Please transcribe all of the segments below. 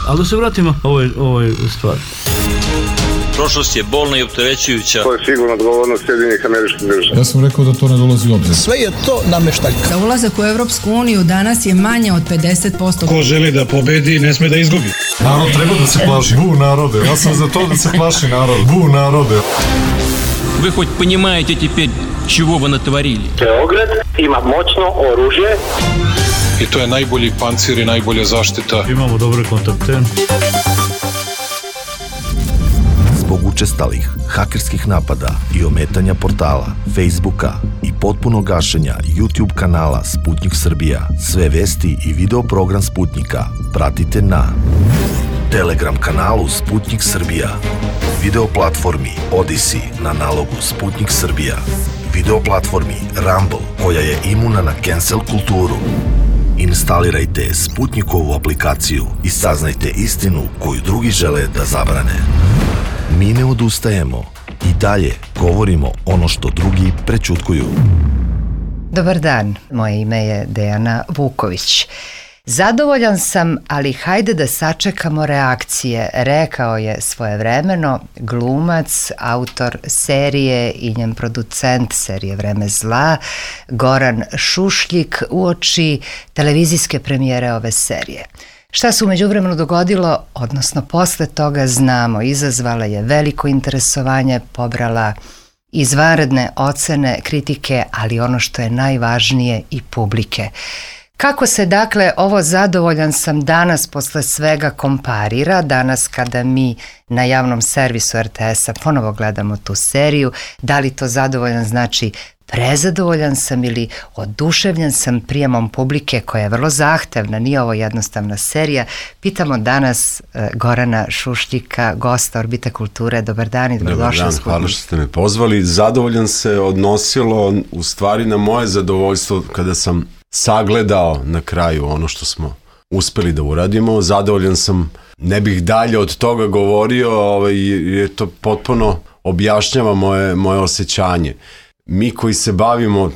Ali da se vratimo ovoj stvari. Prošlost je bolna i opterećujuća. To je sigurno odgovornost Sjedinjenih Američkih Država. Ja sam rekao da to ne dolazi u obzir. Sve je to nameštaljka. Za ulazak u Evropsku uniju danas je manje od 50%. Ko želi da pobedi, ne sme da izgubi. Narod treba da se plaši. Bu narode. Ja sam za to da se plaši narod. Bu narode. Вы хоть понимаете теперь, чего вы натворили? Beograd ima moćno oružje. I to je najbolji pancir i najbolja zaštita. Imamo dobre kontakte. Zbog učestalih hakerskih napada i ometanja portala, Facebooka i potpunog gašenja YouTube kanala Sputnik Srbija, sve vesti i video program Sputnika pratite na Telegram kanalu Sputnik Srbija, video platformi Odyssey na nalogu Sputnik Srbija, video platformi Rumble koja je imuna na cancel kulturu. Instalirajte Sputnikovu aplikaciju i saznajte istinu koju drugi žele da zabrane. Mi ne odustajemo i dalje govorimo ono što drugi prećutkuju. Dobar dan, moje ime je Dejana Vuković. Zadovoljan sam, ali hajde da sačekamo reakcije, rekao je svojevremeno glumac, autor serije i njen producent serije Vreme zla, Goran Šušljik, uoči televizijske premijere ove serije. Šta se u međuvremenu dogodilo, odnosno posle toga znamo, izazvala je veliko interesovanje, pobrala izvanredne ocene, kritike, ali ono što je najvažnije i publike. Kako se dakle ovo zadovoljan sam danas posle svega komparira, danas kada mi na javnom servisu RTS-a ponovo gledamo tu seriju, da li to zadovoljan znači prezadovoljan sam ili oduševljen sam prijemom publike koja je vrlo zahtevna, nije ovo jednostavna serija. Pitamo danas Gorana Šušljika, gosta Orbite kulture. Dobar dan i dobrodošli. Dobar dan, hvala što ste me pozvali. Zadovoljan se odnosilo u stvari na moje zadovoljstvo kada sam sagledao na kraju ono što smo uspeli da uradimo. Zadovoljan sam, ne bih dalje od toga govorio, jer to potpuno objašnjava moje osjećanje. Mi koji se bavimo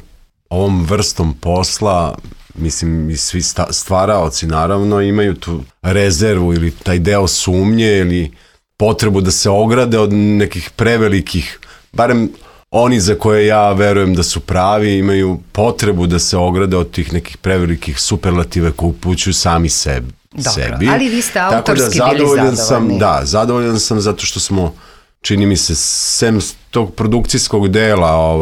ovom vrstom posla, mislim i svi stvaraoci naravno, imaju tu rezervu ili taj deo sumnje ili potrebu da se ograde od nekih prevelikih, barem oni za koje ja verujem da su pravi, imaju potrebu da se ograde od tih nekih prevelikih superlative koje upućuju sami sebi. Dobro, ali vi ste autorski bili zadovoljni. Da, zadovoljan sam zato što smo, čini mi se, sem tog produkcijskog dela,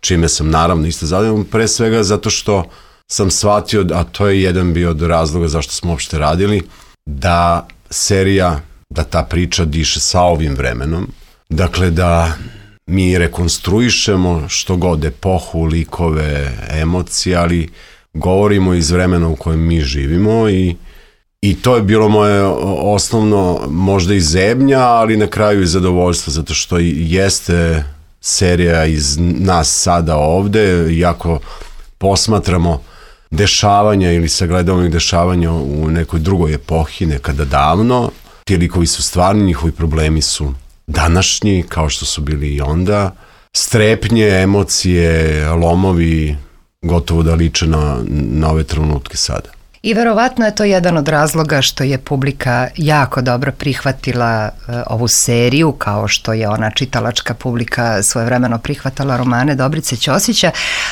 čime sam naravno isto zadovoljan, pre svega zato što sam shvatio, a to je jedan bio od razloga zašto smo uopšte radili, da serija, da ta priča diše sa ovim vremenom, dakle da mi rekonstruišemo što god, epohu, likove, emocije, ali govorimo iz vremena u kojem mi živimo i to je bilo moje osnovno, možda i zebnja, ali na kraju i zadovoljstvo, zato što jeste serija iz nas sada ovde, iako posmatramo dešavanja ili sagledavamo dešavanja u nekoj drugoj epohi, nekada davno, ti likovi su stvarni, njihovi problemi su današnji, kao što su bili i onda, strepnje, emocije, lomovi, gotovo da liče na ove trenutke sada. I verovatno je to jedan od razloga što je publika jako dobro prihvatila ovu seriju, kao što je ona čitalačka publika svojevremeno prihvatala romane Dobrice Ćosića,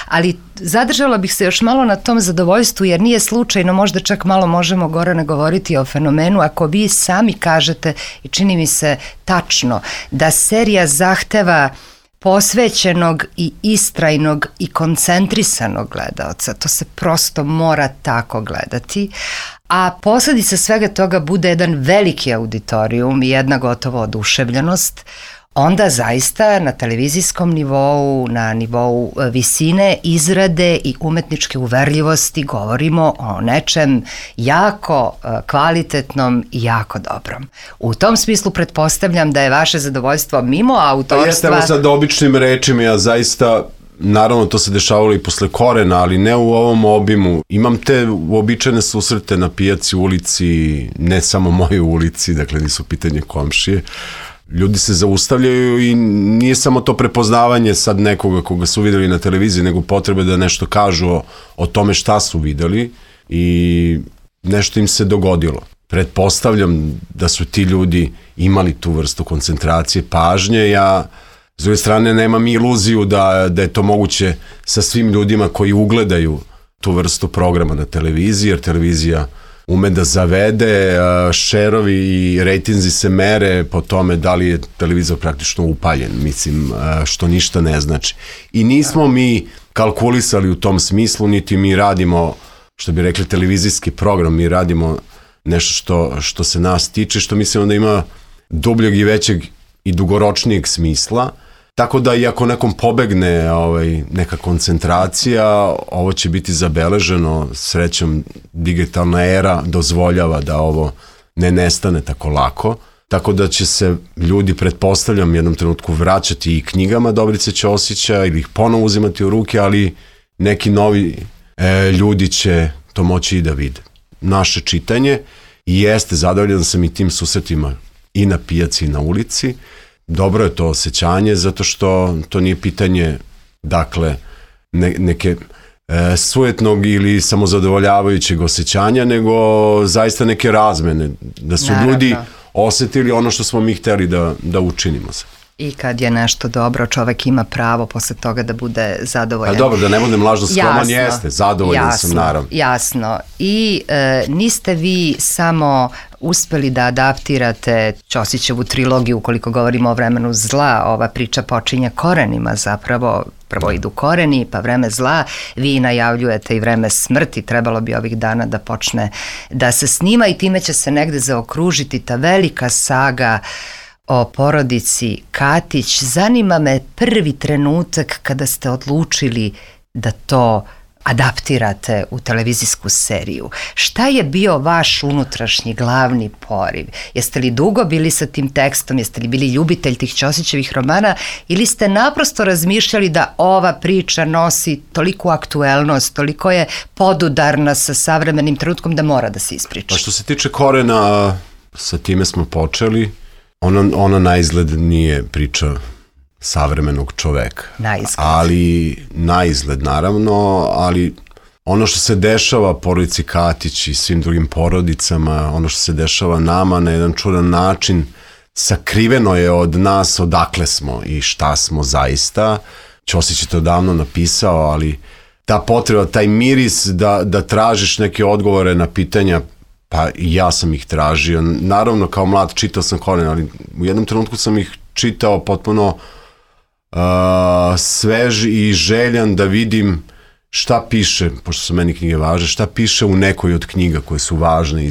ali zadržala bih se još malo na tom zadovoljstvu, jer nije slučajno, možda čak malo možemo, Gorane, govoriti o fenomenu, ako vi sami kažete, i čini mi se tačno, da serija zahteva posvećenog i istrajnog i koncentrisanog gledaoca. To se prosto mora tako gledati. A posledica svega toga bude jedan veliki auditorijum i jedna gotovo oduševljenost, onda zaista na televizijskom nivou, na nivou visine, izrade i umetničke uverljivosti govorimo o nečem jako kvalitetnom i jako dobrom. U tom smislu pretpostavljam da je vaše zadovoljstvo mimo autorstva... Pa jeste, sad običnim rečima, ja zaista, naravno to se dešavalo i posle Korena, ali ne u ovom obimu. Imam te uobičajene susrete na pijaci, ulici, ne samo moje ulici, dakle nisu pitanje komšije. Ljudi se zaustavljaju i nije samo to prepoznavanje sad nekoga koga su videli na televiziji, nego potrebe da nešto kažu o tome šta su videli i nešto im se dogodilo. pretpostavljam da su ti ljudi imali tu vrstu koncentracije, pažnje. Ja, s druge strane, nemam iluziju da je to moguće sa svim ljudima koji ugledaju tu vrstu programa na televiziji, jer televizija ume da zavede, šerovi i rejtinzi se mere po tome da li je televizor praktično upaljen, mislim, što ništa ne znači. I nismo mi kalkulisali u tom smislu, niti mi radimo, što bi rekli, televizijski program, mi radimo nešto što se nas tiče, što mislim da ima dubljeg i većeg i dugoročnijeg smisla. Tako da i ako nekom pobegne neka koncentracija, ovo će biti zabeleženo. Srećom, digitalna era dozvoljava da ovo ne nestane tako lako. Tako da će se ljudi, pretpostavljam, jednom trenutku vraćati i knjigama Dobrice Ćosića ili ih ponovo uzimati u ruke, ali neki novi ljudi će to moći i da vide. Naše čitanje jeste, zadovoljan sam i tim susretima i na pijaci i na ulici. Dobro je to osjećanje, zato što to nije pitanje, dakle, neke sujetnog ili samozadovoljavajućeg osjećanja, nego zaista neke razmene, da su ljudi osetili ono što smo mi hteli da učinimo se. I kad je nešto dobro, čovek ima pravo posle toga da bude zadovoljan. A dobro, da ne budem lažno skroman, jeste, zadovoljan sam naravno. Jasno. I niste vi samo uspeli da adaptirate Ćosićevu trilogiju, ukoliko govorimo o vremenu zla, ova priča počinje korenima zapravo, prvo idu koreni, pa vreme zla, vi najavljujete i vreme smrti, trebalo bi ovih dana da počne da se snima i time će se negde zaokružiti ta velika saga o porodici Katić. Zanima me prvi trenutak kada ste odlučili da to adaptirate u televizijsku seriju. Šta je bio vaš unutrašnji glavni poriv? Jeste li dugo bili sa tim tekstom? Jeste li bili ljubitelj tih Ćosićevih romana? Ili ste naprosto razmišljali da ova priča nosi toliku aktuelnost, toliko je podudarna sa savremenim trenutkom da mora da se ispriča? Pa što se tiče korena, sa time smo počeli. Ona na izgled nije priča savremenog čoveka. Na izgled naravno, ali ono što se dešava porodici Katić i svim drugim porodicama, ono što se dešava nama na jedan čudan način, sakriveno je od nas odakle smo i šta smo zaista. Ćosić je to davno napisao, ali ta potreba, taj miris da tražiš neke odgovore na pitanja, pa i ja sam ih tražio. Naravno, kao mlad čitao sam Koren, ali u jednom trenutku sam ih čitao potpuno svež i željan da vidim šta piše, pošto su meni knjige važne, šta piše u nekoj od knjiga koje su važne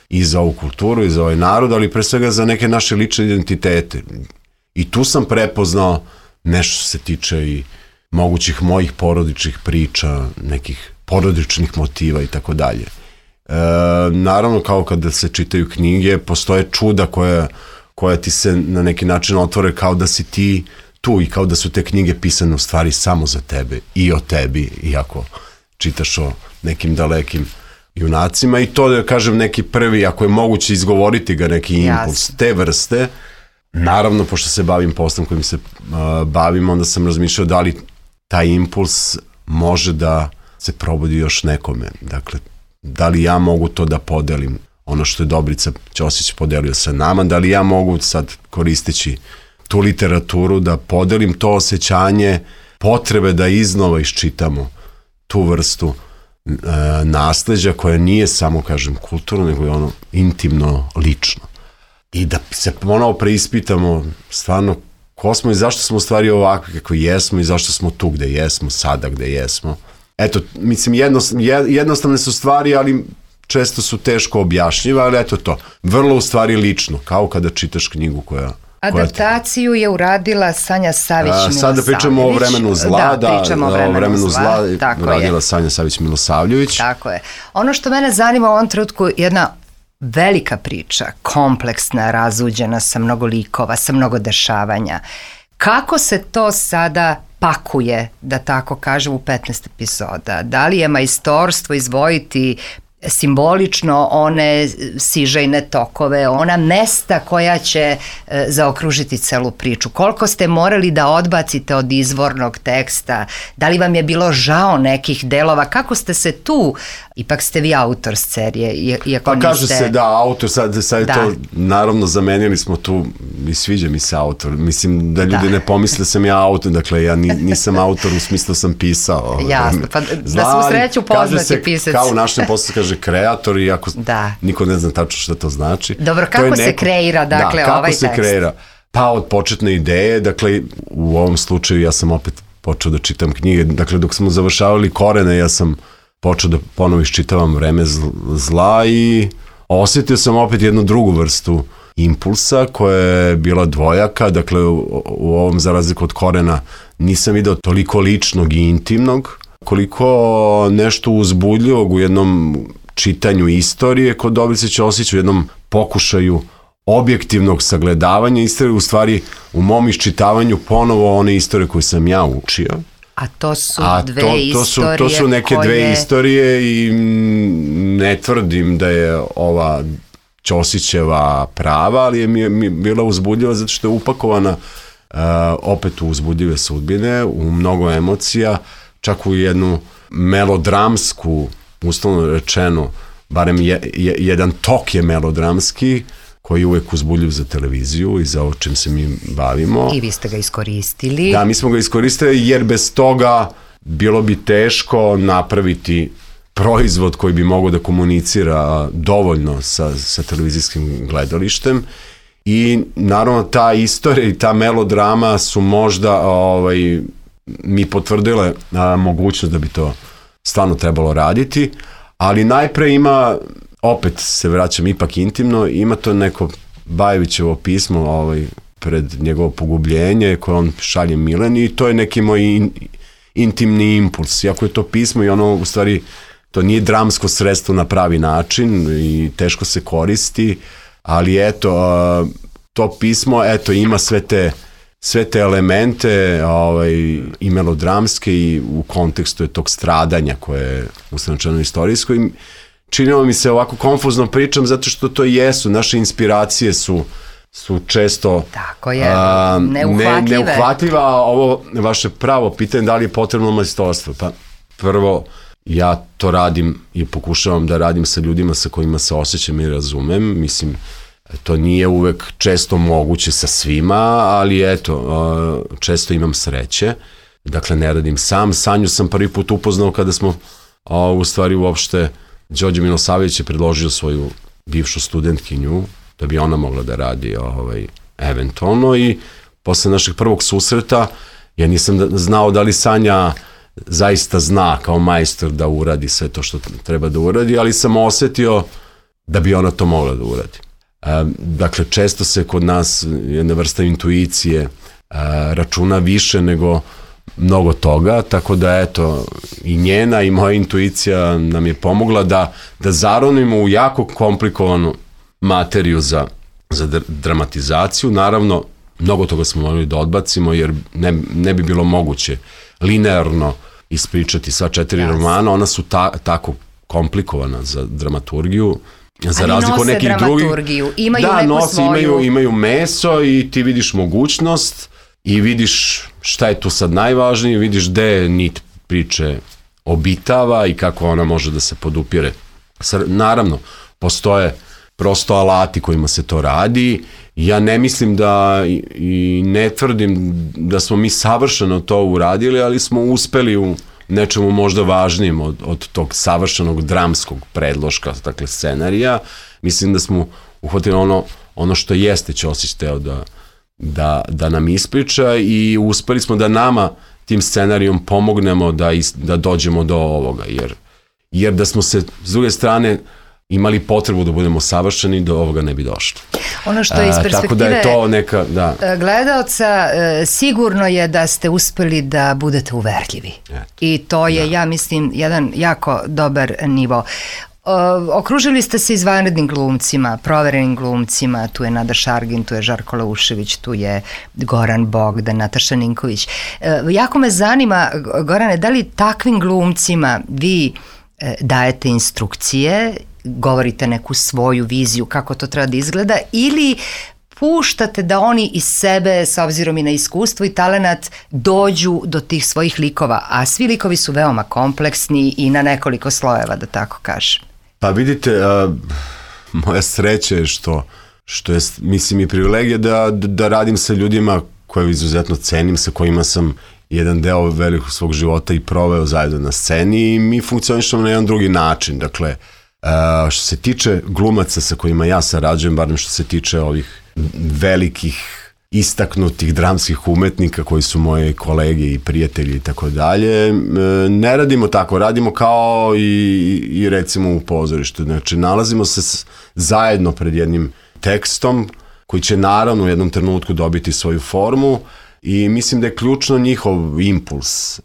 i za ovu kulturu, i za ovaj narod, ali pre svega za neke naše lične identitete. I tu sam prepoznao nešto što se tiče i mogućih mojih porodičnih priča, nekih porodičnih motiva i tako dalje. Naravno, kao kada se čitaju knjige, postoje čuda koja ti se na neki način otvore kao da si ti tu i kao da su te knjige pisane u stvari samo za tebe i o tebi, iako čitaš o nekim dalekim junacima. I to, da kažem, neki prvi, ako je moguće izgovoriti ga, neki impuls te vrste. Naravno, pošto se bavim poslom kojim se bavim, onda sam razmišljao da li taj impuls može da se probudi još nekome. Dakle, da li ja mogu to da podelim, ono što je Dobrica Ćosić podelio sa nama, da li ja mogu sad, koristeći tu literaturu, da podelim to osjećanje potrebe da iznova iščitamo tu vrstu nasleđa koja nije samo, kažem, kulturno, nego je ono intimno, lično. I da se ponovo preispitamo stvarno ko smo i zašto smo u stvari ovakvi kako jesmo i zašto smo tu gde jesmo, sada gde jesmo. Eto, mislim, jednostavne su stvari, ali često su teško objašnjive, ali eto to. Vrlo u stvari lično, kao kada čitaš knjigu koja... Adaptaciju je uradila Sanja Savić-Milosavljević. Sada pričamo o vremenu zla, o vremenu zla uradila Sanja Savić-Milosavljević. Tako je. Ono što mene zanima u ovom trenutku je jedna velika priča, kompleksna, razuđena, sa mnogo likova, sa mnogo dešavanja. Kako se to sada pakuje, da tako kažem, u 15 epizoda? Da li je majstorstvo izdvojiti simbolično one sižejne tokove, ona mesta koja će zaokružiti celu priču. Koliko ste morali da odbacite od izvornog teksta? Da li vam je bilo žao nekih delova? Kako ste se tu, ipak ste vi autor serije, iako niste... Kaže se da, autor, sad je to, naravno zamenili smo tu, i sviđa mi se autor, mislim da ljudi ne pomisle da sam ja autor, dakle ja nisam autor u smislu sam pisao. Jasno, pa da smo sreću poznati pisac. Kao u našem poslu kaže kreator, iako niko ne zna tačno šta to znači. Dobro, kako se kreira, dakle, ovaj tekst? Kako se kreira? Pa od početne ideje, dakle, u ovom slučaju ja sam opet počeo da čitam knjige, dakle, dok smo završavali Korene, ja sam počeo da ponovo iščitavam Vreme zla i osjetio sam opet jednu drugu vrstu impulsa koja je bila dvojaka, dakle, u ovom, za razliku od Korena, nisam video toliko ličnog i intimnog, koliko nešto uzbudljivog u jednom čitanju istorije kod Dobrice Ćosić, u jednom pokušaju objektivnog sagledavanja istorije, u stvari u mom iščitavanju ponovo one istorije koje sam ja učio. A to su dve istorije to su neke dve istorije i ne tvrdim da je ova Ćosićeva prava, ali je mi bila uzbudljiva zato što je upakovana opet u uzbudljive sudbine, u mnogo emocija, čak u jednu melodramsku, uslovno rečeno, barem jedan tok je melodramski, koji je uvek uzbudljiv za televiziju i za ovo čim se mi bavimo. I vi ste ga iskoristili. Da, mi smo ga iskoristili jer bez toga bilo bi teško napraviti proizvod koji bi mogao da komunicira dovoljno sa televizijskim gledalištem. I naravno ta istorija i ta melodrama su možda mi potvrdile mogućnost da bi to stvarno trebalo raditi, ali najpre ima, opet se vraćam ipak intimno, ima to neko Bajevićevo pismo pred njegovo pogubljenje koje on šalje Mileni i to je neki moj intimni impuls. Iako je to pismo i ono u stvari to nije dramsko sredstvo na pravi način i teško se koristi, ali eto, to pismo ima sve te elemente i melodramske i u kontekstu je tog stradanja koje je ustanočeno istorijsko i činilo mi se ovako konfuzno pričam zato što to jesu, naše inspiracije su često neuhvatljiva. Ovo vaše pravo pitanje da li je potrebno majstorstvo. Pa prvo, ja to radim i pokušavam da radim sa ljudima sa kojima se osjećam i razumem. Mislim, to nije uvek često moguće sa svima, ali eto, često imam sreće. Dakle, ne radim sam. Sanju sam prvi put upoznao kada smo, u stvari uopšte, Đorđe Milosavljević je predložio svoju bivšu studentkinju, da bi ona mogla da radi eventualno i posle našeg prvog susreta ja nisam znao da li Sanja zaista zna kao majstor da uradi sve to što treba da uradi, ali sam osetio da bi ona to mogla da uradi. Dakle, često se kod nas jedna vrsta intuicije računa više nego mnogo toga, tako da eto i njena i moja intuicija nam je pomogla da zaronimo u jako komplikovanu materiju za dramatizaciju. Naravno, mnogo toga smo morali da odbacimo jer ne bi bilo moguće linearno ispričati sva 4 romana, ona su tako komplikovana za dramaturgiju. Za razliku od nekih dramaturgiju, imaju neku svoju... imaju meso i ti vidiš mogućnost i vidiš šta je tu sad najvažnije, vidiš gde nit priče obitava i kako ona može da se podupire. Naravno, postoje prosto alati kojima se to radi. Ja ne mislim da i ne tvrdim da smo mi savršeno to uradili, ali smo uspeli u nečemu možda važnijem od tog savršenog dramskog predloška, dakle scenarija. Mislim da smo uhvatili ono što jeste Ćosić teo da nam ispriča i uspeli smo da nama tim scenarijom pomognemo da dođemo do ovoga, jer da smo se s druge strane imali potrebu da budemo savršeni, do ovoga ne bi došlo. Ono što je iz perspektive tako da je to neka, gledaoca, sigurno je da ste uspeli da budete uverljivi. I to je, ja mislim, jedan jako dobar nivo. Okružili ste se izvanrednim glumcima, proverenim glumcima, tu je Nada Šargin, tu je Žarko Laušević, tu je Goran Bogdan, Nataša Ninković. Jako me zanima, Gorane, da li takvim glumcima vi dajete instrukcije, govorite neku svoju viziju kako to treba da izgleda, ili puštate da oni iz sebe, s obzirom i na iskustvo i talenat, dođu do tih svojih likova, a svi likovi su veoma kompleksni i na nekoliko slojeva, da tako kažem. Pa vidite, moja sreća je što je, mislim, i privilegija da radim sa ljudima koje izuzetno cenim, sa kojima sam jedan deo velikog svog života i proveo zajedno na sceni i mi funkcionišemo na jedan drugi način. Dakle, što se tiče glumaca sa kojima ja sarađujem, barem što se tiče ovih velikih istaknutih dramskih umetnika koji su moje kolege i prijatelji i tako dalje, ne radimo tako, radimo kao i recimo u pozorištu. Znači, nalazimo se zajedno pred jednim tekstom koji će naravno u jednom trenutku dobiti svoju formu i mislim da je ključno njihov impuls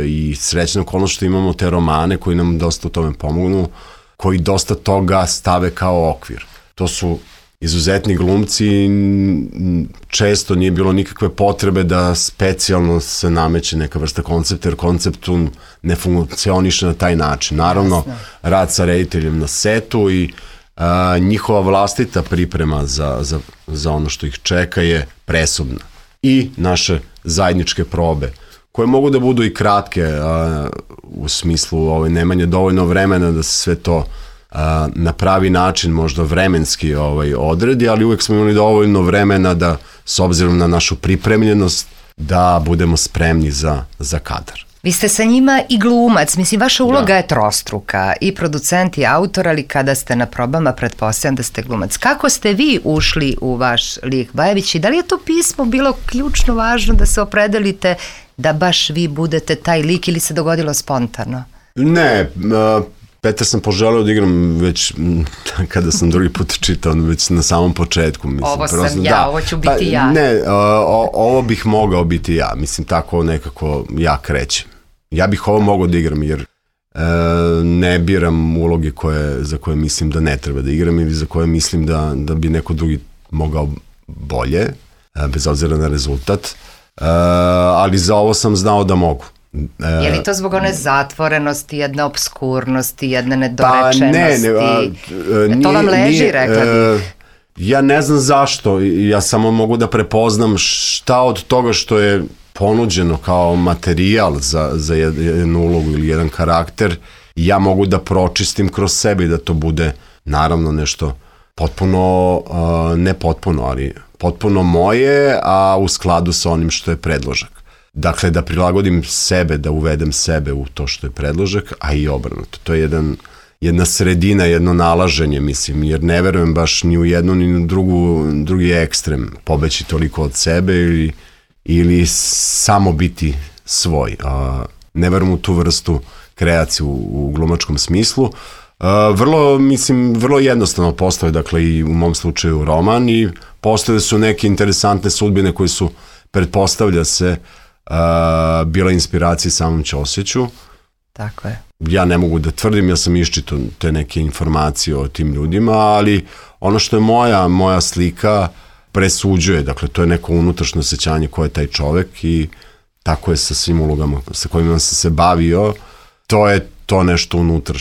i srećna okolnost što imamo te romane koji nam dosta u tome pomognu, koji dosta toga stave kao okvir. To su izuzetni glumci, često nije bilo nikakve potrebe da specijalno se nameće neka vrsta koncepta, jer konceptu ne funkcioniše na taj način. Naravno, rad sa rediteljem na setu i njihova vlastita priprema za ono što ih čeka je presudna. I naše zajedničke probe, koje mogu da budu i kratke, u smislu nemanje dovoljno vremena da se sve to na pravi način, možda vremenski odredi, ali uvek smo imali dovoljno vremena da, s obzirom na našu pripremljenost, da budemo spremni za kadar. Vi ste sa njima i glumac, mislim, vaša uloga je trostruka, i producent i autor, ali kada ste na probama, pretpostavljam da ste glumac. Kako ste vi ušli u vaš lik Bajević i da li je to pismo bilo ključno važno da se opredelite da baš vi budete taj lik ili se dogodilo spontano? Ne, Petar sam poželeo da igram već kada sam drugi put čitao, već na samom početku. Mislim, ovo sam ja, ovo ću biti ja. Ne, ovo bih mogao biti ja, mislim, tako nekako ja krećem. Ja bih ovo mogao da igram jer ne biram uloge za koje mislim da ne treba da igram ili za koje mislim da bi neko drugi mogao bolje, bez obzira na rezultat, ali za ovo sam znao da mogu. Je li to zbog one zatvorenosti, jedne obskurnosti, jedne nedorečenosti? To vam leži, rekla bih. Ja ne znam zašto, ja samo mogu da prepoznam šta od toga što je ponuđeno kao materijal za jednu ulogu ili jedan karakter, ja mogu da pročistim kroz sebe i da to bude naravno nešto potpuno, ne potpuno, ali potpuno moje, a u skladu sa onim što je predložak. Dakle, da prilagodim sebe, da uvedem sebe u to što je predložak, a i obrnuto. To je jedna sredina, jedno nalaženje, mislim, jer ne verujem baš ni u jednu ni u drugi ekstrem, pobeći toliko od sebe ili samo biti svoj. Ne verujem u tu vrstu kreacije u glumačkom smislu. Vrlo jednostavno postoje, dakle, i u mom slučaju roman i postoje su neke interesantne sudbine koje su, pretpostavlja se, bila inspiracija samom Ćosiću. Tako je. Ja ne mogu da tvrdim, ja sam iščitao te neke informacije o tim ljudima, ali ono što je moja slika presuđuje, dakle to je neko unutrašnje osjećanje ko je taj čovek i tako je sa svim ulogama sa kojima sam se bavio, to je to nešto unutra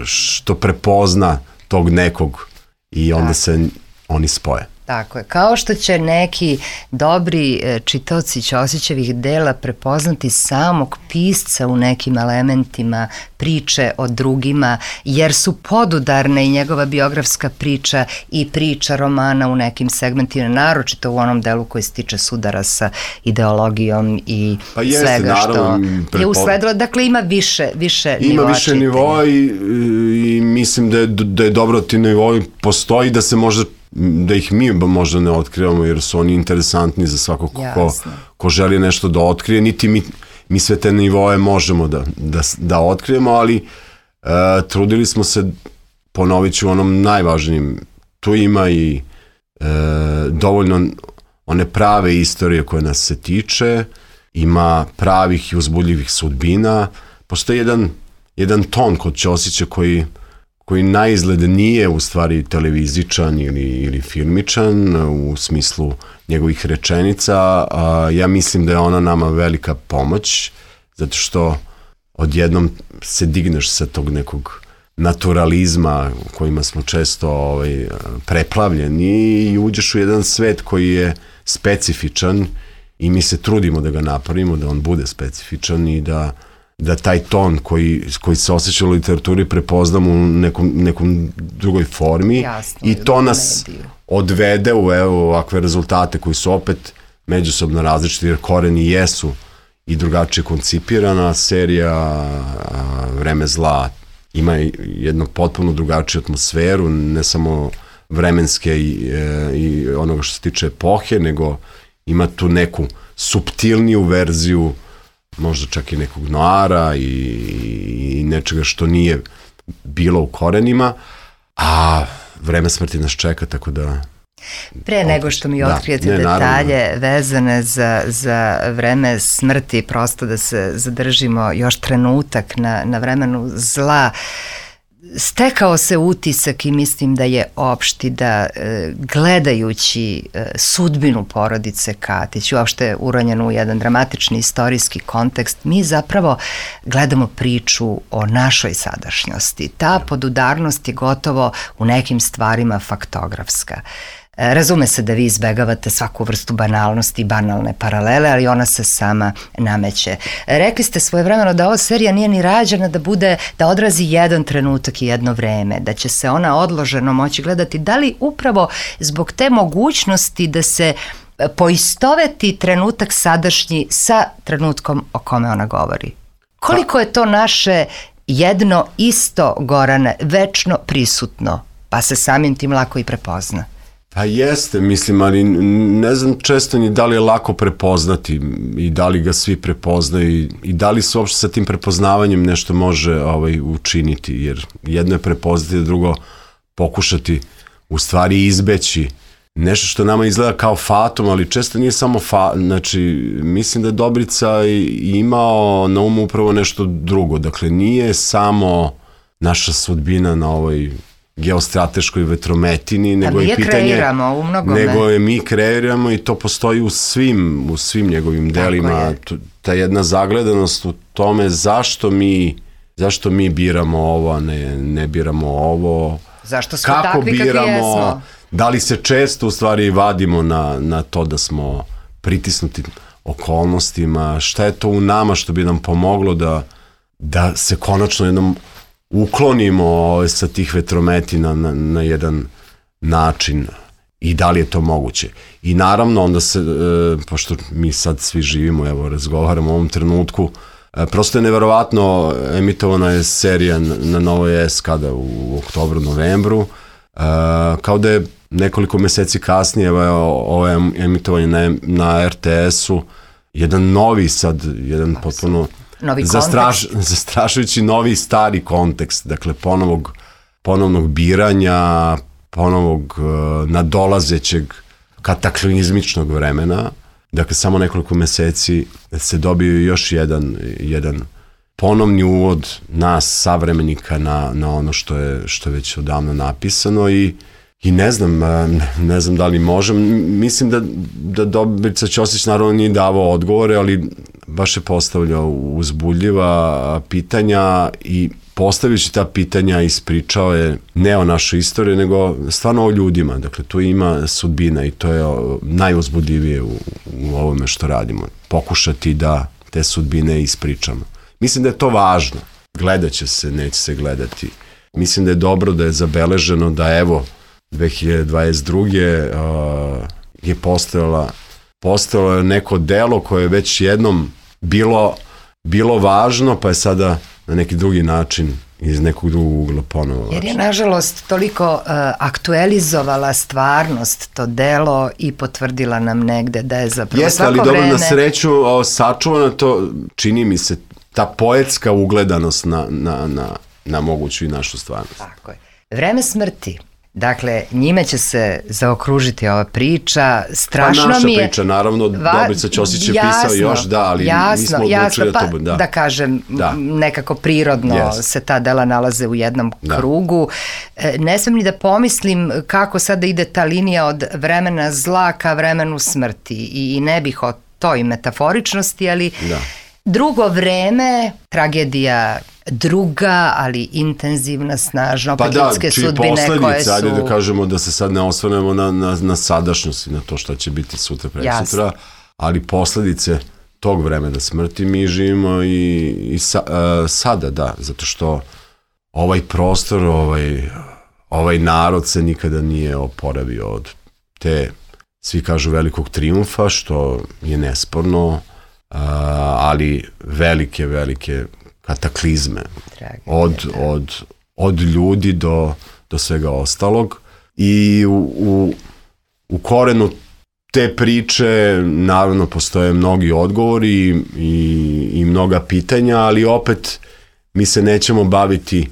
što prepozna tog nekog i onda se oni spoje. Tako je, kao što će neki dobri čitaoci Ćosićevih dela prepoznati samog pisca u nekim elementima priče o drugima, jer su podudarne i njegova biografska priča i priča romana u nekim segmentima, naročito u onom delu koji se tiče sudara sa ideologijom i svega što je usledilo. Dakle, ima više nivoa. Ima više nivoa i mislim da je dobro ti nivoi postoji, da se možda da ih mi možda ne otkrivamo jer su oni interesantni za svakog ko želi nešto da otkrije, niti mi sve te nivoje možemo da otkrijemo, ali trudili smo se, ponovit ću onom najvažnijim, tu ima i dovoljno one prave istorije koje nas se tiče, ima pravih i uzbudljivih sudbina, postoji jedan ton kod Ćosića koji na izgled nije u stvari televizičan ili filmičan u smislu njegovih rečenica, ja mislim da je ona nama velika pomoć, zato što odjednom se digneš sa tog nekog naturalizma kojima smo često preplavljeni i uđeš u jedan svet koji je specifičan i mi se trudimo da ga napravimo, da on bude specifičan i da taj ton koji se osjeća u literaturi prepoznamo u nekom drugoj formi. Jasno, i to nas odvede u ovakve rezultate koji su opet međusobno različiti, jer koreni jesu i drugačije koncipirana. Serija Vreme zla ima jednu potpuno drugačiju atmosferu, ne samo vremenske i onoga što se tiče epohe, nego ima tu neku suptilniju verziju, možda čak i nekog noara i nečega što nije bilo u korenima, a Vreme smrti nas čeka, tako da... Pre nego što mi otkrijete detalje vezane za Vreme smrti, prosto da se zadržimo još trenutak na Vremenu zla, stekao se utisak i mislim da je opšti da gledajući sudbinu porodice Katić, uopšte uronjenu u jedan dramatični istorijski kontekst, mi zapravo gledamo priču o našoj sadašnjosti. Ta podudarnost je gotovo u nekim stvarima faktografska. Razume se da vi izbegavate svaku vrstu banalnosti i banalne paralele, ali ona se sama nameće. Rekli ste svojevremeno da ova serija nije ni rađena da odrazi jedan trenutak i jedno vreme, da će se ona odloženo moći gledati. Da li upravo zbog te mogućnosti da se poistoveti trenutak sadašnji sa trenutkom o kome ona govori? Koliko je to naše jedno isto, Gorane, večno prisutno, pa se samim tim lako i prepozna? Pa jeste, mislim, ali ne znam često ni da li je lako prepoznati i da li ga svi prepoznaju i da li se uopšte sa tim prepoznavanjem nešto može učiniti, jer jedno je prepoznati, drugo pokušati u stvari izbeći nešto što nama izgleda kao fatum, ali često nije samo znači mislim da je Dobrica imao na umu upravo nešto drugo, dakle nije samo naša sudbina na ovoj geostrateškoj vetrometini, nego je pitanje, nego je mi kreiramo i to postoji u svim njegovim delima, ta jedna zagledanost u tome zašto mi biramo ovo, a ne biramo ovo, zašto smo kako takvi biramo, kakvi jesmo, da li se često u stvari vadimo na to da smo pritisnuti okolnostima, šta je to u nama što bi nam pomoglo da se konačno jednom uklonimo sa tih vetrometina na jedan način i da li je to moguće. I naravno onda se, pošto mi sad svi živimo, evo razgovaramo u ovom trenutku, prosto je neverovatno, emitovana je serija na Novoj S kada u oktobru, novembru, kao da je nekoliko meseci kasnije ovo emitovanje na RTS-u, jedan novi sad, jedan potpuno zastrašujući novi stari kontekst, dakle ponovnog biranja, ponovog nadolazećeg kataklizmičnog vremena, dakle samo nekoliko meseci se dobio još jedan ponovni uvod nas, savremenika, na ono što je već odavno napisano i ne znam da li možem, mislim da Dobrica Ćosić naravno nije davao odgovore, ali baš je postavljao uzbudljiva pitanja i postavljajući ta pitanja ispričao je ne o našoj istoriji, nego stvarno o ljudima, dakle tu ima sudbina i to je najuzbudljivije u ovome što radimo, pokušati da te sudbine ispričamo. Mislim da je to važno, gledat će se, neće se gledati, mislim da je dobro da je zabeleženo da evo 2022. Je postojalo neko delo koje je već jednom bilo važno, pa je sada na neki drugi način iz nekog drugog ugla ponovo važno. Jer je nažalost toliko aktualizovala stvarnost to delo i potvrdila nam negde da je zapravo svako vreme... Jeste, ali dobro, na sreću sačuvano to, čini mi se, ta poetska ugledanost na moguću i našu stvarnost. Tako je. Vreme smrti. Dakle, njime će se zaokružiti ova priča, strašno mi je... Pa naša priča, naravno, Dobrica Ćosić je pisao još, ali mi smo odlučili da to bude. Da kažem, nekako prirodno se ta dela nalaze u jednom krugu. Ne smijem ni da pomislim kako sada ide ta linija od vremena zla ka vremenu smrti i ne bih o toj metaforičnosti, ali drugo vreme, tragedija druga, ali intenzivna, snažna, opet ljudske sudbine koje su... Ajde da kažemo da se sad ne osvrnemo na sadašnjost i na to šta će biti sutra, preksutra, ali posledice tog vremena smrti mi živimo i sada, da, zato što ovaj prostor, ovaj narod se nikada nije oporavio od te, svi kažu, velikog trijumfa, što je nesporno, ali velike kataklizme od ljudi do svega ostalog. I u korenu te priče naravno postoje mnogi odgovori i mnoga pitanja, ali opet mi se nećemo baviti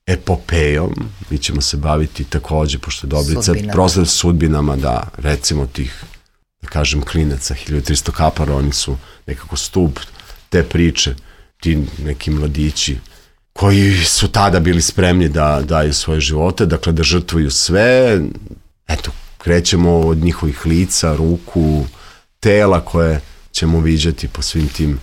epopejom, mi ćemo se baviti takođe, pošto je Dobrica prosto sudbinama, da, recimo tih, da kažem, klinaca 1300 kapara, oni su nekako stub te priče, ti neki mladići koji su tada bili spremni da daju svoje živote, dakle da žrtvuju sve. Eto, krećemo od njihovih lica, ruku, tela koje ćemo viđati po svim tim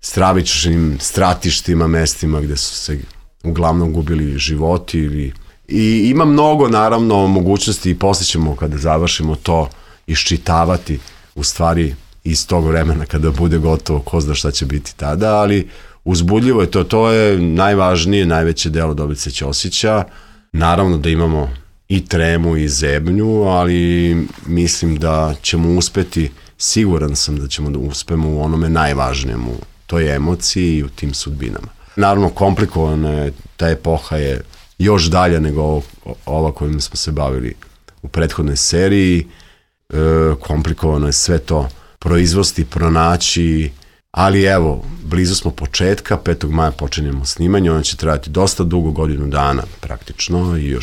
stravičnim stratištima, mestima gde su se uglavnom gubili životi. I ima mnogo, naravno, mogućnosti i poslije ćemo, kada završimo to, iščitavati u stvari iz tog vremena kada bude gotovo, ko zna šta će biti tada, ali uzbudljivo je to je najvažnije, najveće delo Dobrice Ćosića. Naravno da imamo i tremu i zebnju, ali mislim da ćemo uspeti, siguran sam da ćemo da uspemo u onome najvažnijem, u toj emociji i u tim sudbinama. Naravno, komplikovano je, ta epoha je još dalja nego ova kojim smo se bavili u prethodnoj seriji. Komplikovano je sve to proizvosti, pronaći, ali evo, blizu smo početka, 5. maja počinjemo snimanje, ono će trajati dosta dugo, godinu dana praktično i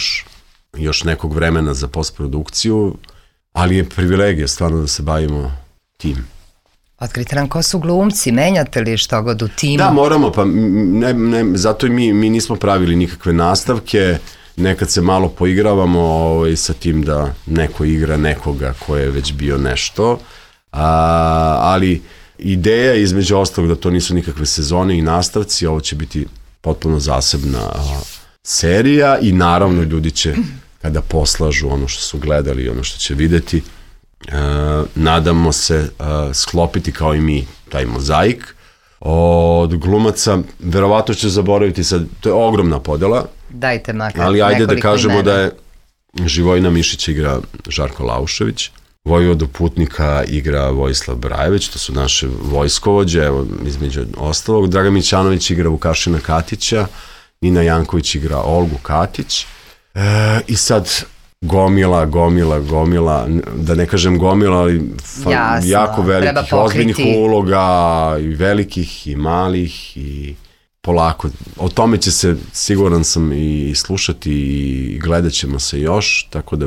još nekog vremena za postprodukciju, ali je privilegija stvarno da se bavimo tim. Otkrite nam ko su glumci, menjate li što god u timu? Da, moramo, pa zato i mi nismo pravili nikakve nastavke, nekad se malo poigravamo sa tim da neko igra nekoga ko je već bio nešto, ali ideja je između ostalog da to nisu nikakve sezone i nastavci, ovo će biti potpuno zasebna serija i naravno ljudi će, kada poslažu ono što su gledali i ono što će videti, nadamo se sklopiti kao i mi taj mozaik od glumaca. Verovatno ću zaboraviti sad, to je ogromna podela. Dajte makar ali ajde da kažemo imena. Da je Živojina Mišića igra Žarko Laušević, Vojvodu Putnika igra Vojislav Brajević, to su naše vojskovođe, evo između ostalog. Dragan Mićanović igra Vukašina Katića, Nina Janković igra Olgu Katić, i sad gomila, da ne kažem gomila, ali jako velikih, ozbiljnih uloga, i velikih i malih, i polako. O tome će se, siguran sam, i slušati i gledat ćemo se još, tako da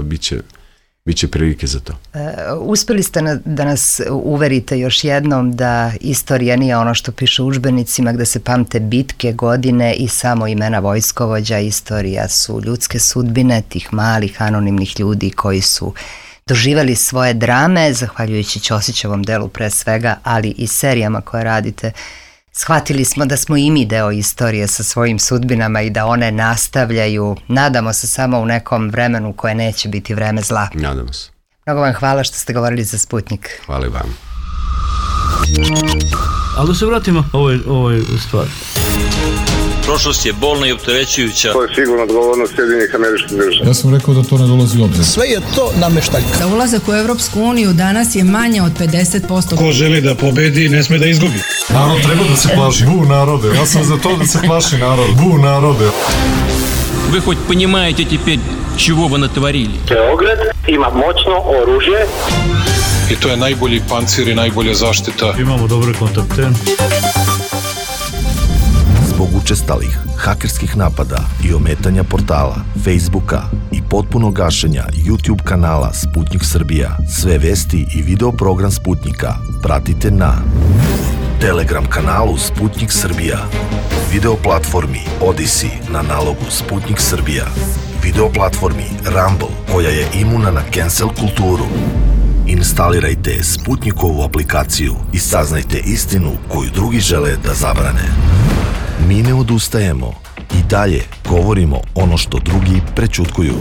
biće prilike za to. Uspeli ste da nas uverite još jednom da istorija nije ono što piše u udžbenicima, gde se pamte bitke, godine i samo imena vojskovođa. Istorija su ljudske sudbine tih malih anonimnih ljudi koji su doživeli svoje drame, zahvaljujući Ćosićevom delu pre svega, ali i serijama koje radite. Shvatili smo da smo i mi deo istorije sa svojim sudbinama i da one nastavljaju, nadamo se, samo u nekom vremenu koje neće biti vreme zla. Nadamo se. Mnogo vam hvala što ste govorili za Sputnik. Hvala i vam. Ali da se vratimo ovoj stvari. Prošlost je bolna i opterećujuća. To je sigurno odgovornost Sjedinjenih Američkih Država. Ja sam rekao da to ne dolazi u obzir. Sve je to nameštaljka. Za ulazak u Evropsku uniju danas je manje od 50%. Ko želi da pobedi, ne sme da izgubi. Narod treba da se plaši. Bu narode. Ja sam za to da se plaši narod. Bu narode. Вы хоть понимаете теперь, чего вы натворили? Beograd ima moćno oružje. I to je najbolji pancir i najbolja zaštita. Imamo dobre kontakte. Zbog učestalih hakerskih napada i ometanja portala, Facebooka i potpunog gašenja YouTube kanala Sputnik Srbija, sve vesti i video program Sputnika pratite na Telegram kanalu Sputnik Srbija, video platformi Odyssey na nalogu Sputnik Srbija, video platformi Rumble koja je imuna na cancel kulturu, Instalirajte Sputnikovu aplikaciju i saznajte istinu koju drugi žele da zabrane. Mi ne odustajemo i dalje govorimo ono što drugi prećutkuju.